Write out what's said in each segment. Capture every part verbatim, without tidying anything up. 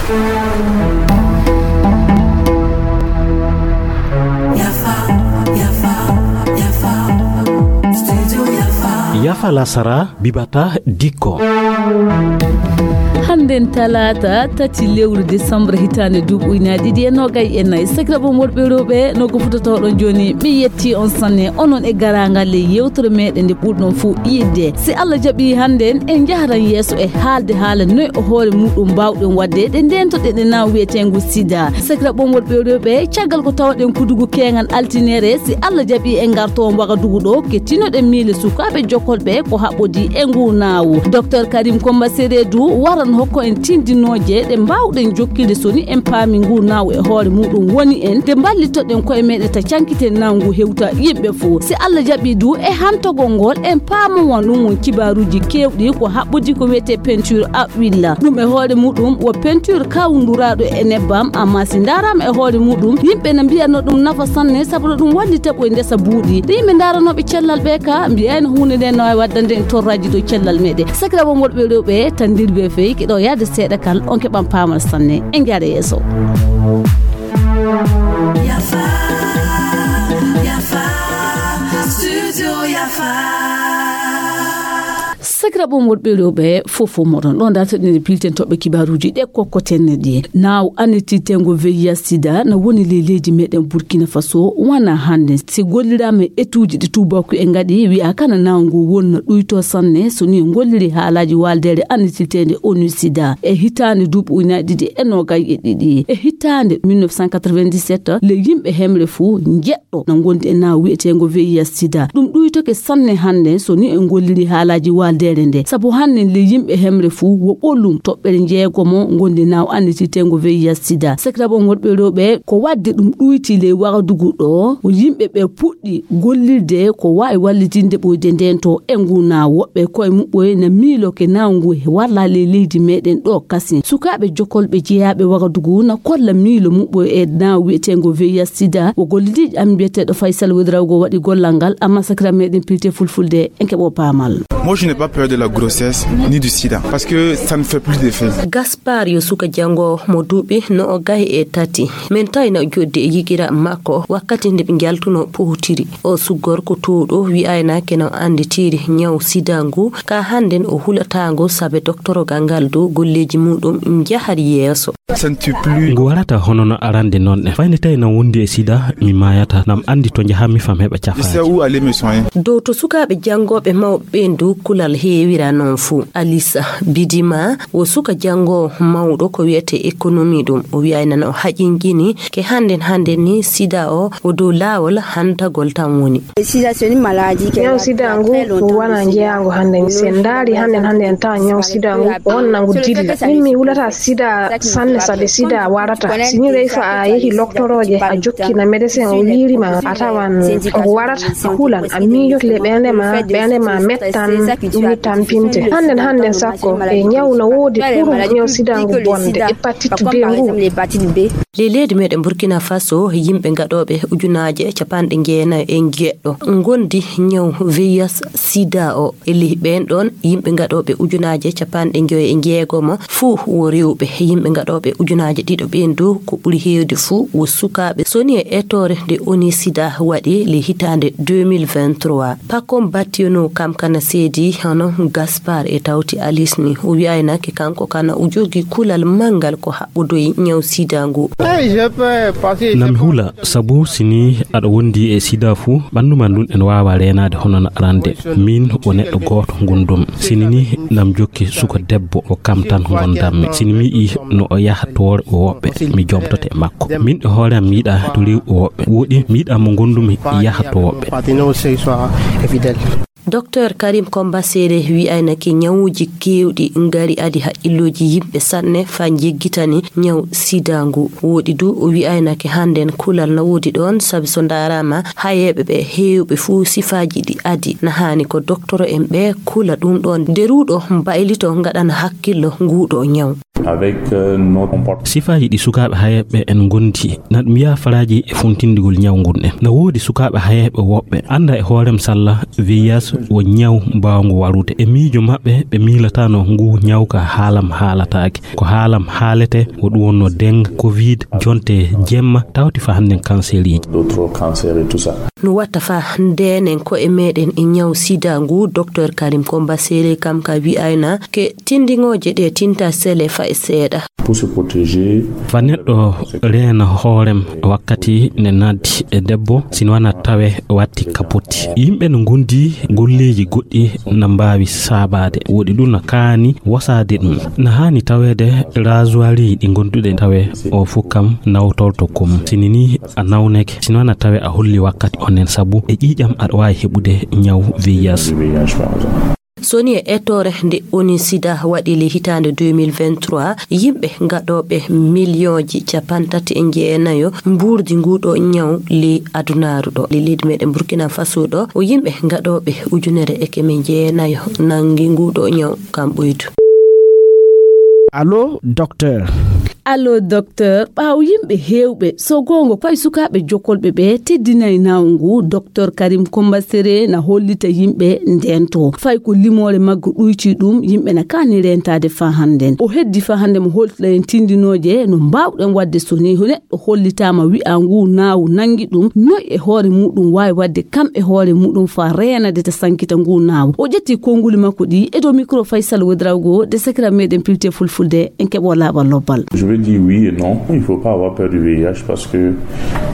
Yafa lasara bibata dikko. Hannden talaata tati lewru décembre hitaande duuɓi ujunaaji ɗiɗi e noogay e nayi. Sakiraaɓe am worɓe e rewɓe, no ko fuɗɗotoo ɗon jooni, mi yetti on sanne, onon e garaangal e yewtere meɗen nde ɓurɗon fof yiɗde. Si Allah jaɓi hannden, en njahran yeeso e haalde haala noy o hoore muɗum mbaawɗen waɗde ɗe ndeentoɗen e naaw wiyeteengu sida. Sakiraaɓe am worɓe e rewɓe, caggal ko tawɗen kudugu keeŋan altinere, si Allah jaɓi en ngartoo Wagadugu ɗo, kettinoɗen miile sukaaɓe jokkolɓe ko haɓɓodii e ngu naawu. Docteur Karim Komba Seredu waran hokko en tindinooje ɗe mbaawɗen jokkirde so ni en paami ngu naawu e hoore muɗum woni en, nde mballitoɗen koye meɗen ta cankiten naawu ngu hewta yimɓe fof. Si Allah jaɓi du e hantogol ngol en paamo won ɗum won kibaaruuji keewɗi ko haɓɓodii ko wiyetee peinture a willa. Ɗum e hoore muɗum wo peinture kawnduraaɗo e nebbam, amma si ndaaraama e hoore muɗum, yimɓe na mbiya no ɗum nafa sanne, sabu no ɗum wallita ɓoy ndesa buuɗi. Ɗe yimɓe ndaaranooɓe cellal ɓe ka, mbiyayno huunde nde no waawi waddande en torraaji dow cellal meɗen. Sakiraaɓe am worɓe e rewɓe, tan ndir be fey, keɗo yaade seeɗa kal, on keɓan paamal sanne. En njaare yeeso. Yafa, Yafa, Studio Yafa. Sakiraaɓe am worɓe e rewɓe, fof fof moɗon. Ɗon dartoɗen e pilten toɓɓe kibaaruuji ɗe kokkoten ɗi. Naaw annitirteengo V I H sida na woni ley leydi meɗen Burkina Faso, wana hannde. Si golliraama e etuuji ɗi tuubaaku en ngaɗi, wi'a kana naaw ngu wonna ɗuyto sanne, so ni en golliri haalaaji waaldeere annitirteende onu sida. E hitaande duuɓi ujunaaji ɗiɗi e noogay e ɗiɗi. E hitaande mille neuf cent quatre-vingt-dix-sept, le yimɓe hemre fuu njeɗ ɗo na ngondi e naaw wi'eteengo V I H sida. Ɗum ɗuytoke sanne hannde so ni en golliri haalaaji waaldeere nde. Sabu hannde le yimɓe hemre fuu wo ɓolum toɓɓere jeegomo ngondi naaw annitirteengo V I H sida. Sakiraaɓe am worɓe e rewɓe, ko waɗde ɗum ɗuyti ley Wagadugu ɗo, ko yimɓe ɓe puɗɗi gollirde ko waawi wallitinde ɓoyde ndeen to e ngu naaw. Woɓɓe koye muɓɓoye na miiloke naaw ngu walla ley leydi meɗen ɗo kasin. Sukaaɓe jokkolɓe jeyaaɓe Wagadugu na kolla miilo muɓɓoye e naaw wi'eteengo V I H sida. Wo gollidiijo am biyeteeɗo Faysal Wedrawgo waɗi gollal ngal, amma sakiraaɓe meɗen pilte fulfulde en keɓo paamal. Moi, je n'ai pas peur de la grossesse ni du sida parce que ça ne fait plus d'effet. Gaspar yo suka janngo mo duuɓi no o gahi e tati. Min tawi na o joddi e yigira makko wakkati nde ɓe njaltuno pohotiri. O suggor ko tuuɗo wi'ayna ke no annditiri ñaw sida ngu, ka hannden o hulataango sabe doktorogal ngal dow golleeji muɗum njahar yeeso. Ça ne tue plus. Ngu warata hono no arande noon ne. Fayde tawi na wondi e sida, mi maayata. Nam anndi to njahammi fam heɓa cafaaji. Je sais où aller me soigner. Dow to sukaaɓe janngooɓe mawɓe ɓeen dow kulal heewira noon fuu. Alisa Bidima wo suka janngoowo mawɗo ko wiyetee économie ɗum. O wi'ayna no haƴinjini ke hannden hannden ni sida o, o dow laawol hantagol tan woni. Ñaw sida ngu wona jeyaango hannde. Si en ndaari hannden hannde en tawa ñaw sida ngu wonna ngu dilla. Min mi hulata sida sanne sabe sida warata. Si ni reyfa a yehi loktorooje a jokki na médecin o wiiri ma a tawan ngu warata a hulan a miijoto le ɓeende ma ɓeende ma mettan ɗum mi tampinte. Hannden hannden sakko e ñaw na woodi ɓuru ñaw sida ngu bonde hépatite B ngu. Ley leydi meɗen Burkina Faso, yimɓe gaɗooɓe ujunaaje capanɗe jeenayi e jeeɗiɗo ngondi ñaw V I H sida o. E ley ɓeen ɗoon, yimɓe gaɗooɓe ujunaaje capanɗe joyi e jeegomo fuu wo rewɓe. Yimɓe gaɗooɓe ujunaaje ɗiɗo ɓeen dow ko ɓuri heewde fuu wo sukaaɓe. So ni e etoore nde oni sida waɗi le hitaande deux mille vingt-trois. Pakom Bationo kam kana seedi hono Gaspar e tawti Alice ni. O wi'ayna ke kanko kana o jogii kulal manngal ko haɓɓodoyi ñaw sida ngu. Nam hula, sabu si ni aɗa wondi e sida fuu, ɓanndu ma ndun en waawa reenaade hono no arande. Min o neɗɗo gooto ngondumi. Si ni ni nam jokki suka debbo, ko kam tan ngondammi. Si ni mi yi'i no o yaha to woɓɓe, mi jomtoto e makko. Min e hoore am mi yiɗa to rew woɓɓe. Woɗi mi yiɗa mo ngondumi yaha to woɓɓe. Docteur Karim Komba Sere wi'aynake ñawuuji keewɗi ngari adi haqqillooji yimɓe sanne faa njeggitani ñaw sida ngu. Woɗi du o wi'aynake hannden kulal na woodi ɗoon, sabi so ndaaraama hayeeɓe ɓe heewɓe fuu sifaaji ɗi adi. Na haani ko doktoro en ɓe kula ɗum ɗoon, nde ruuɗo mbaylito ngaɗana hakkillo nguuɗo ñaw. Avec, euh, notre comportement. Sifaaji ɗi sukaaɓe hayeeɓe en ngondi, na ɗum yaha faraaji e funtindigol ñaw ngun en. Na woodi sukaaɓe hayeeɓe woɓɓe annda e hoorem salla V I H wo ñaw mbaawngu warude. E miijo maɓɓe, ɓe miilatano ngu ñaw ka haalam haalataake. Ko haalam haalete, wo ɗum wonno dengue, covid, jonte jemma, tawti fa hannden cancer iji. D'autres cancers et tout ça. No watta fa ndenen ko e meɗen e ñaw sida ngu, Docteur Karim Komba Sere kam ka wi'ayna ke tindiŋooje ɗe tinta sele fa e seeɗa. Pour se protéger. Fa neɗɗo reena hoorem wakkati ne naddi e debbo, sino wana tawe watti kapoti. Yimɓe no ngondi golleeji goɗɗi na mbaawi saabaade. Woɗi ɗum na kaani wasaade ɗum. Na haani taweede rasoir ɗi gonduɗe tawe o fof kam nawtorto kom. Sini ni a nawneke, sino wana tawe a holli wakkati onnen sabu e ƴiiƴam aɗa waawi heɓude ñaw V I H. So ni e ettoore nde O N U sida waɗi le hitaande deux mille vingt-trois, yimɓe gaɗooɓe miliyonji capantati e jeenayo mbuurdi nguɗo ñaw le adunaaru ɗo. Le leydi meɗen Burkina Faso ɗo, o yimɓe gaɗooɓe ujunere e keme jeenayo nangi nguɗo ñaw kam ɓuydu. Allo, docteur. Allo, docteur. Ɓaawo yimɓe heewɓe, so goonga, ko e sukaaɓe jokolɓe ɓe teddinay naw ngu, Docteur Karim Komba Sere na hollita yimɓe ndento. Fay ko limoore maggo ɗuytii ɗum, yimɓe na kaani reentaade faa hannden. O heddi faa hannde mo holtira en tindinooje no mbaawɗen waɗde so ni neɗɗo hollitaama wi'a ngu naawu nangi ɗum, noy e hoore muɗum waawi waɗde kam e hoore muɗum faa reenade ta sankita ngu naawu. O ƴetti konnguli makko ɗi e dow micro Faysal Wedrawgo de sakira meɗen pilte fulfulde en keɓo laaɓal lobbal. Je vais dire oui et non. Il faut pas avoir peur du V I H parce que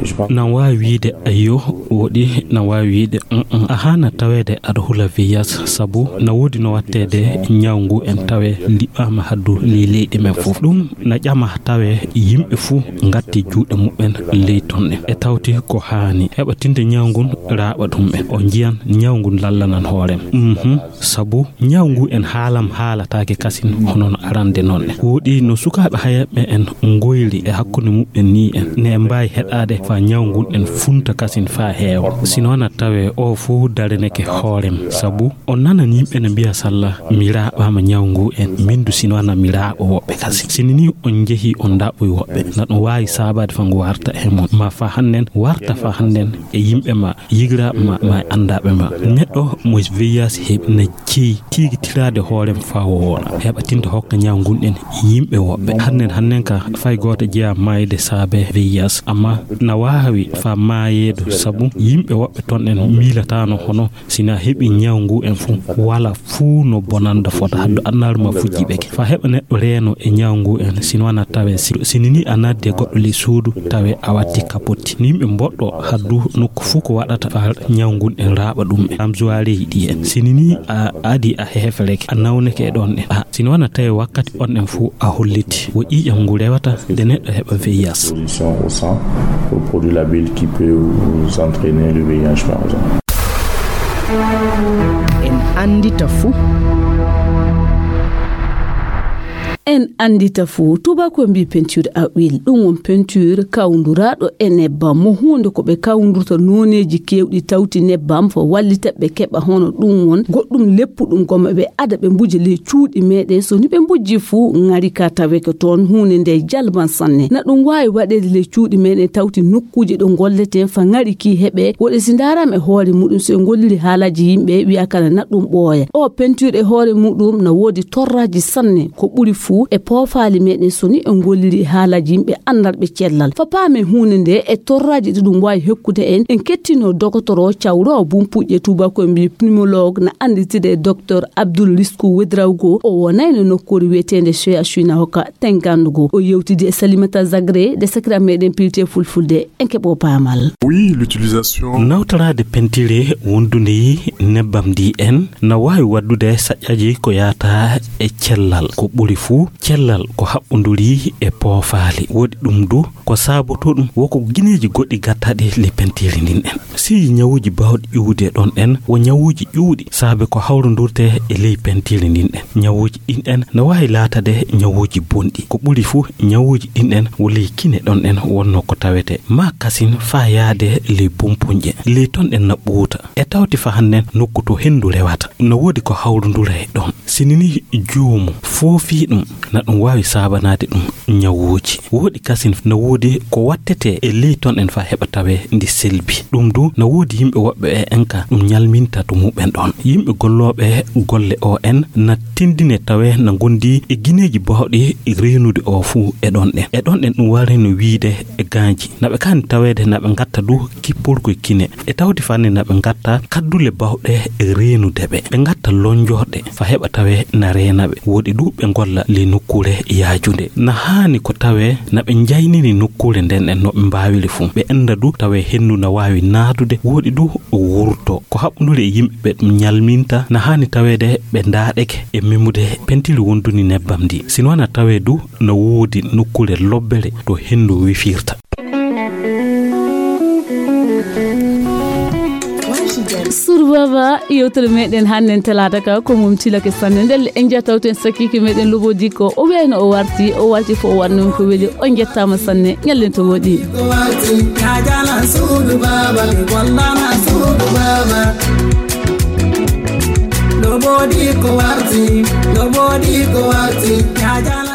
je pense. Nan waawi wiide ayyo, woɗi nan waawi wiide, mm, mm. A haana taweede aɗa hula V I H sabu na woodi no watteede ñaw ngu en tawe liɓɓaama haddu ley leyɗe men fof. Ɗum na ƴama tawe yimɓe fuu ngatti juuɗe muɓɓen ley ton ɗen. E tawti ko haani heɓa tinde ñaw ngun raaɓa ɗum en. O njiyan ñaw ngun lallanan hoorem. Mhm. Sabu ñaw ngu en haalam haalataake kasin hono no arande noon ɗen. Woɗi no sukaaɓe hayeeɓe en ngoyri e hakkunde muɓɓen ni en. Ne en mbaawi heɗaade faa ñaw ngun en funta kasin faa heewa. Sino wana tawe o fuu dareneke hoorem. Sabu on nanan yimɓe ne mbiya salla mi raaɓaama ñaw ngu en. Min du sino wana mi raaɓa woɓɓe kasin. Sini ni on njehi on ndaɓɓoy woɓɓe. Na ɗum waawi saabaade faa ngu warta e mon. Ma faa hannden warta faa hannden e yimɓe ma. Yigiraaɓe ma, ma e anndaaɓe ma. Neɗɗo mo V I H heɓi na jeyi tigitiraade hoorem faa o wooɗa. Heɓa tinde hokka ñaw ngun en yimɓe woɓɓe. Hannden, hannden ka fay gooto jeyaa maayde saabe V I H. Amma na waawi faa maayeedo sabu yimɓe woɓɓe ton en miilataano hono sina heɓi ñaw ngu en fuu. Wala fuu no bonanda fota haddu annaaru ma fujjiɓe ke. Faa heɓa neɗɗo reeno e ñaw ngu en, sino wana tawe si, sini ni a naddi e goɗɗo ley suudu, tawe a watti kapotti. Ni yimɓe mboɗɗo haddu nokku fuu ko waɗata faa ñaw ngun en raaɓa ɗum en. Am juwareeji ɗi en. Sini ni a adi a heefereke, a nawneke e ɗon ɗen. A, sino wana tawe wakkati on ɗen fuu a holliti. Wo ƴiiƴam ngu rewata nde neɗɗo heɓa V I H. Position au sang pour produire la bile qui peut vous entraîner le V I H par exemple. En anndita fuu. En anndita fuu, tuubaakoɓe mbii peinture à huile, ɗum won peinture kawnduraaɗo e nebbam. Mo huunde ko ɓe kawndurta nooneeji keewɗi tawti nebbam, fo wallita ɓe keɓa hono ɗum won goɗɗum leppuɗum, goma ɓe ada ɓe mbuja ley cuuɗi meɗen. So ni ɓe mbujji fuu, ŋari ka taweke toon, huunde nde jalban sanne. Na ɗum waawi waɗeede ley cuuɗi meɗen tawti nokkuuje ɗo ngolleten fa ŋari ki heɓe. Woɗe si ndaaraama e hoore muɗum, so e ngolliri haalaaji yimɓe, wiya kala na ɗum ɓooya. O peinture e hoore muɗum na woodi torraaji sanne, ko ɓuri fuu e poofaali meɗen so ni e ngolliri haalaaji yimɓe anndarɓe cellal. Fa paamen huunde nde e torraaji ɗi ɗum waawi hokkude en, en kettino dogotoro cawroowo bumpuƴƴe tuubaakoɓe mbii pneumologue na annditiri e Docteur Abdoul Risku Wedrawgo. O wonayno nokkuure wiyeteende C H U na hokka tengandugo. O yewtidi e Salimata Zagre de sakira meɗen pilte fulfulde. En keɓo paamal. Oui, l'utilisation. Nawtoraade pentire wondunde yi nebbam ndi en na waawi waddude saƴƴaji ko yaata e cellal. Ko ɓuri fuu, cellal ko haɓɓunduri e poofaali. Woɗi ɗum du, ko saabotoo ɗum, wo ko gineeji goɗɗi gattaɗi ley pentire ndin en. Si ñawuuji baawɗi ƴuwde ɗon en, wo ñawuuji ƴuwɗi, saabe ko hawrundurte e ley pentire ndin en. Ñawuuji ɗin en na waawi laatade ñawuuji bonɗi. Ko ɓuri fuu, ñawuuji ɗin en wo ley kine ɗon en wonno ko tawete. Ma kasin faa yaade ley bumpuñƴe. Ley ton en na ɓuuta. E tawti fa hannden nokku to henndu rewata. No woodi ko hawrundura e ɗon. Sini ni juumu foofii ɗum, Na ɗum waawi saabanaade ɗum ñawuuji. Wooɗi kasin na woodi ko waɗtetee e ley ton en faa heɓa tawee ndi selbi. Ɗum du na woodi yimɓe woɓɓe e en ka ɗum ñalminta to muɓɓen ɗon. Yimɓe gollooɓe golle O N na tindine tawee na ngondi e gineeji baawɗi reenude o fuu e ɗon ɗen. E ɗon ɗen ɗum warino wiide e gaañji. Na ɓe kaani taweede na ɓe ngatta du kippolkoy kine. E tawti fanni na ɓe ngatta kaddule baawɗe reenude ɓe. Ɓe ngatta lonjorɗe fa heɓa tawee na reena ɓe. Wooɗi du ɓe ngolla le nokkuure yaajunde. Na haani ko tawee na ɓe njaynini nokkuure nden e no ɓe mbaawiri fuu. Ɓe enda du tawee henndu na waawi naadude. Wooɗi du wurto. Ko haɓɓundude e yimɓe ɓe ɗum ñalminta na haani taweede ɓe ndaaɗeke e memude pentiri wonduni nebbam ndi. Sinoo na tawee du na woodi nokkuure lobbere to henndu wifirta. Suudu Baaba, yewtere meɗen hannden talaata ka ko mum tilake sanne. Ndelle en njaha tawten sakiike meɗen Lobodi ko o wiyayno o warti, o warti fo o waɗnoo ko weli. On njettaama sanne, ñallen to woɗi. Ko warti, ya jalan suudu Baaba, mi gollana suudu Baaba. Lobodi ko warti, Lobodi ko warti, ya jalan